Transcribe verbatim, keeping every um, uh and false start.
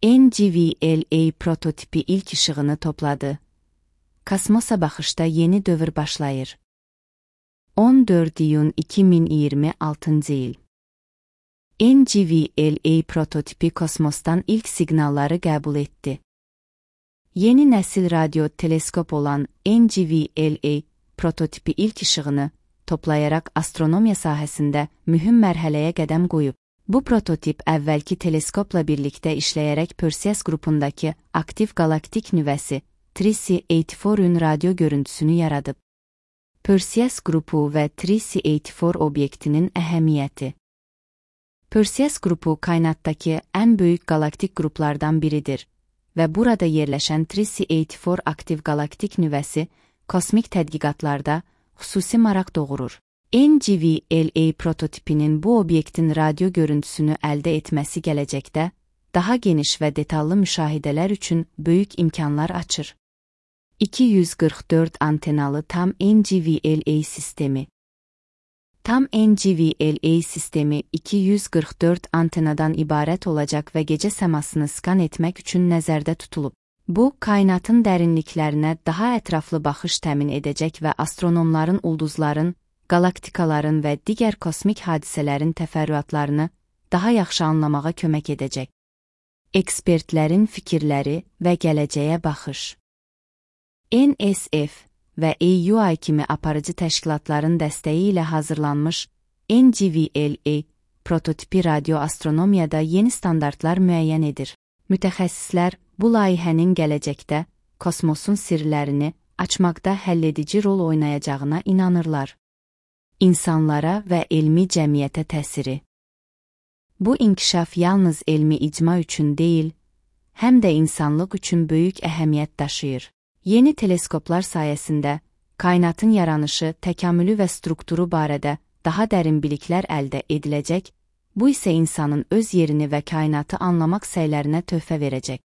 N G V L A prototipi ilk ışığını topladı. Kosmosa baxışda yeni dövr başlayır. on dörd iyun iki min iyirmi altıncı il. N G V L A prototipi kosmosdan ilk siqnalları qəbul etdi. Yeni nəsil radyo teleskop olan N G V L A prototipi ilk ışığını toplayaraq astronomiya sahəsində mühüm mərhələyə qədəm qoyub. Bu prototip əvvəlki teleskopla birlikdə işləyərək Perseus qrupundakı aktiv galaktik nüvəsi Trici səksən dördün radio görüntüsünü yaradıb. Perseus qrupu və Trici səksən dörd obyektinin əhəmiyyəti. Perseus qrupu kainatdakı ən böyük galaktik qruplardan biridir və burada yerləşən Trici səksən dörd aktiv galaktik nüvəsi kosmik tədqiqatlarda xüsusi maraq doğurur. N G V L A prototipinin bu obyektin radio görüntüsünü əldə etməsi gələcəkdə daha geniş və detallı müşahidələr üçün böyük imkanlar açır. iki yüz qırx dörd antenalı tam N G V L A sistemi. Tam N G V L A sistemi iki yüz qırx dörd antenadan ibarət olacaq və gecə səmasını skan etmək üçün nəzərdə tutulub. Bu, kainatın dərinliklərinə daha ətraflı baxış təmin edəcək və astronomların ulduzların, galaktikaların və digər kosmik hadisələrin təfərrüatlarını daha yaxşı anlamağa kömək edəcək. Ekspertlərin fikirləri və gələcəyə baxış. N S F və A U I kimi aparıcı təşkilatların dəstəyi ilə hazırlanmış N G V L A prototipi radioastronomiyada yeni standartlar müəyyən edir. Mütəxəssislər bu layihənin gələcəkdə kosmosun sirlərini açmaqda həlledici rol oynayacağına inanırlar. İnsanlara və elmi cəmiyyətə təsiri. Bu inkişaf yalnız elmi icma üçün deyil, həm də insanlıq üçün böyük əhəmiyyət daşıyır. Yeni teleskoplar sayəsində kainatın yaranışı, təkamülü və strukturu barədə daha dərin biliklər əldə ediləcək, bu isə insanın öz yerini və kainatı anlamaq səylərinə töhfə verəcək.